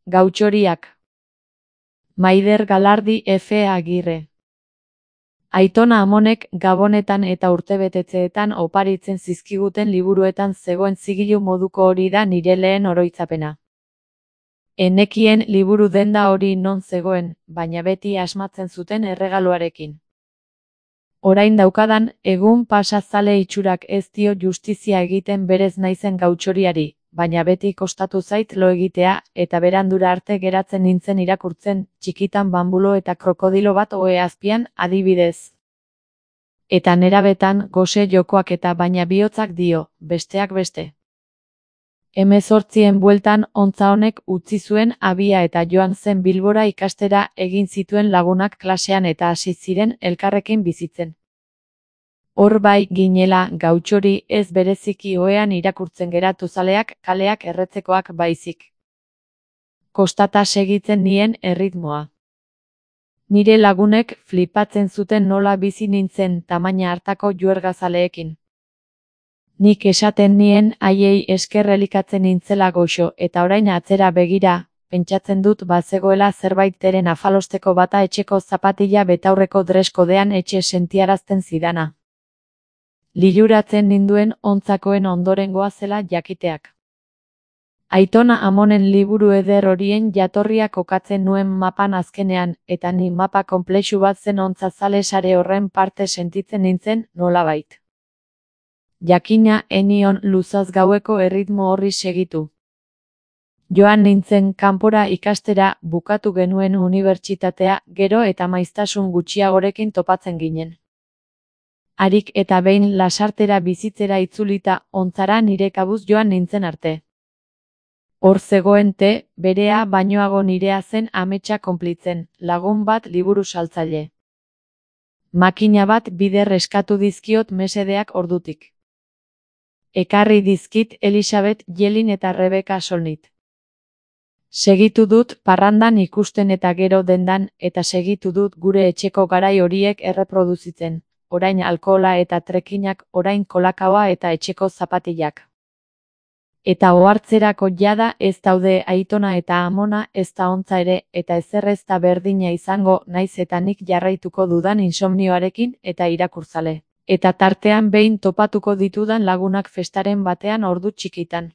Gautxoriak. Maider Galardi F. Agirre. Aitona Amonek gabonetan eta urtebetetzeetan oparitzen zizkiguten liburuetan zegoen zigilu moduko hori da nire lehen oroitzapena. Enekien liburu denda hori non zegoen, baina beti asmatzen zuten erregaloarekin. Orain daukadan, egun pasazale itxurak ez dio justizia egiten berez naizen gautxoriari, baina beti kostatu zait lo egitea, eta berandura arte geratzen nintzen irakurtzen, txikitan bambulo eta krokodilo bat ohe azpian, adibidez. Eta nerabetan, gose jokoak eta baina bihotzak dio, besteak beste. 18 bueltan ontza honek utzi zuen abia eta joan zen Bilbora ikastera egin zituen lagunak klasean eta hasi ziren elkarrekin bizitzen. Hor bai ginela gautxori ez bereziki ohean irakurtzen geratu zaleak kaleak erretzekoak baizik. Kostata segitzen nien erritmoa. Nire lagunek flipatzen zuten nola bizi nintzen tamaina hartako juergazaleekin. Nik esaten nien haiei esker elikatzen nintzela goxo eta orain atzera begira, pentsatzen dut bazegoela zerbaiteren afalosteko bata etxeko zapatila betaurreko dreskodean etxe sentiarazten zidana. Liluratzen ninduen ontzakoen ondorengoa zela jakiteak. Aitona Amonen liburu eder horien jatorria kokatzen nuen mapan azkenean, eta ni mapa konplexu bat zen ontzazale sare horren parte sentitzen nintzen nolabait. Jakina enion luzaz gaueko erritmo horri segitu. Joan nintzen kanpora ikastera, bukatu genuen unibertsitatea, gero eta maiztasun gutxiagorekin topatzen ginen. Harik eta behin lasartera bizitzera itzulita, ontzara nire kabuz joan nintzen arte. Hor zegoen berea bainoago nirea zen ametsa konplitzen, lagun bat liburu saltzaile. Makina bat bider eskatu dizkiot mesedeak ordutik. Ekarri dizkit Elisabet Jelin eta Rebeka Solnit. Segitu dut parrandan ikusten eta gero dendan, eta segitu dut gure etxeko garai horiek erreproduzitzen, orain alkohola eta trekinak, orain kolakaoa eta etxeko zapatilak. Eta ohartzerako jada ez daude Aitona eta Amona, ez da ontza ere, eta ezer ez da berdina izango, naiz eta nik jarraituko dudan insomnioarekin eta irakurzale. Eta tartean behin topatuko ditudan lagunak festaren batean ordu txikitan.